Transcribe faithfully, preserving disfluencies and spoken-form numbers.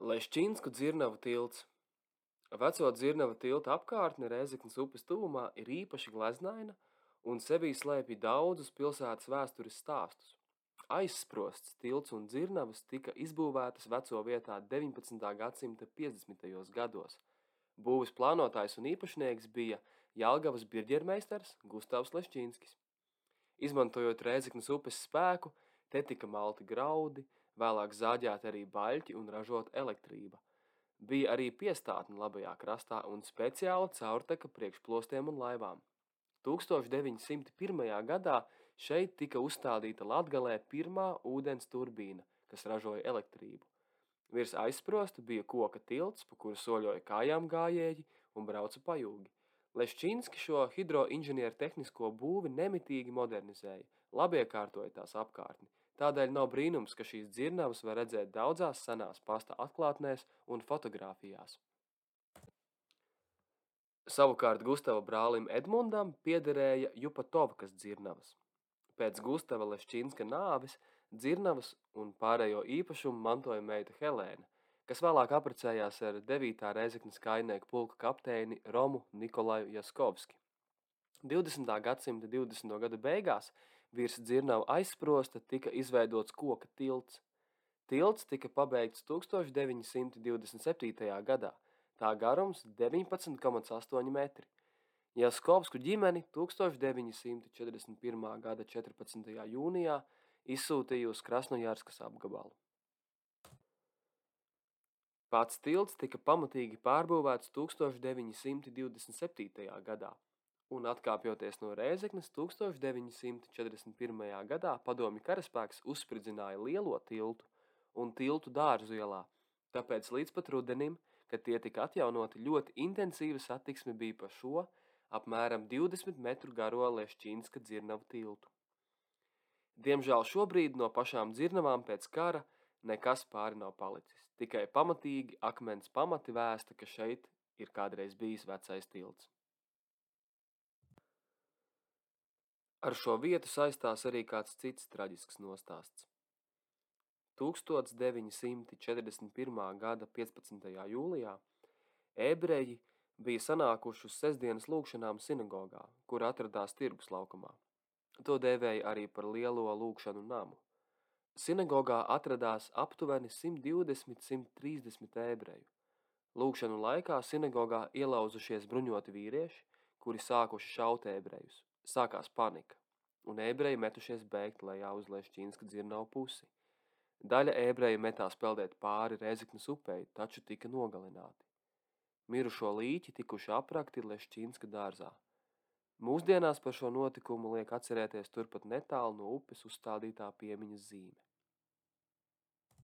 Leščinsku dzirnavu tilts. Veco dzirnava tilta apkārtne Rēzeknes upes tuvumā ir īpaši gleznaina un sevī slēpj daudzus pilsētas vēstures stāstus. Aizsprosts tilts un dzirnavas tika izbūvētas veco vietā deviņpadsmitā gadsimta piecdesmitajos gados. Būves plānotājs un īpašnieks bija Jelgavas birģermeistars Gustavs Leščinskis. Izmantojot Rēzeknes upes spēku, te tika malti graudi, vēlāk zāģēti arī baļķi un ražot elektrība. Bija arī piestātne labajā krastā un speciāla caurteka priekš plostiem un laivām. tūkstoš deviņsimt pirmajā gadā šeit tika uzstādīta Latgalē pirmā ūdens turbīna, kas ražoja elektrību. Virs aizsprosta bija koka tilts, pa kuru soļoja kājām gājēji un brauca pajūgi. Leščinski šo hidroinženieru tehnisko būvi nemitīgi modernizēja, labiekārtoja tās apkārtni. Tādēļ nav brīnums, ka šīs dzirnavas var redzēt daudzās senās pasta atklātnēs un fotogrāfijās. Savukārt Gustava brālim Edmundam piederēja Jupatovkas dzirnavas. Pēc Gustava Leščinska nāves dzirnavas un pārējo īpašumu mantoja meita Helēna, kas vēlāk apprecējās ar devītā Rēzeknes kājnieku pulka kapteini Romu Nikolaju Jaskovski. divdesmitā gadsimta divdesmito gadu beigās virs dzirnavu aizsprosta tika izveidots koka tilts. Tilts tika pabeigts tūkstoš deviņsimt divdesmit septītajā gadā, tā garums deviņpadsmit komats astoņi metri. Jaskovsku ģimeni tūkstoš deviņsimt četrdesmit pirmā gada četrpadsmitajā jūnijā izsūtīja uz Krasnojarskas apgabalu. Pats tilts tika pamatīgi pārbūvēts tūkstoš deviņsimt divdesmit septītajā gadā, un atkāpjoties no Rēzeknes tūkstoš deviņsimt četrdesmit pirmajā gadā padomju karaspēks uzspridzināja lielo tiltu un tiltu Dārzu ielā, tāpēc līdz pat rudenim, kad tie tika atjaunoti, ļoti intensīva satiksme bija pa šo apmēram divdesmit metru garo Leščinska dzirnavu tiltu. Diemžēl šobrīd no pašām dzirnavām pēc kara nekas pāri nav palicis, tikai pamatīgi akmens pamati vēsta, ka šeit ir kādreiz bijis vecais tilts. Ar šo vietu saistās arī kāds cits traģisks nostāsts. tūkstoš deviņsimt četrdesmit pirmā gada piecpadsmitajā jūlijā ebreji bija sanākuši uz sestdienas lūgšanām sinagogā, kur atradās tirgus laukumā. To dēvēja arī par lielo lūgšanu namu. Sinagogā atradās aptuveni simt divdesmit līdz simt trīsdesmit ebreju. Lūgšanu laikā sinagogā ielauzušies bruņoti vīrieši, kuri sākuši šaut ebrejus. Sākās panika, un ebreji metušies bēgt lejā uz Leščinska dzirnavu pusi. Daļa ebreju metās peldēt pāri Rēzeknes upei, taču tika nogalināti. Mirušo līķi tikuši aprakti Leščinska dārzā. Mūsdienās par šo notikumu liek atcerēties turpat netālu no upes uzstādītā piemiņas zīme.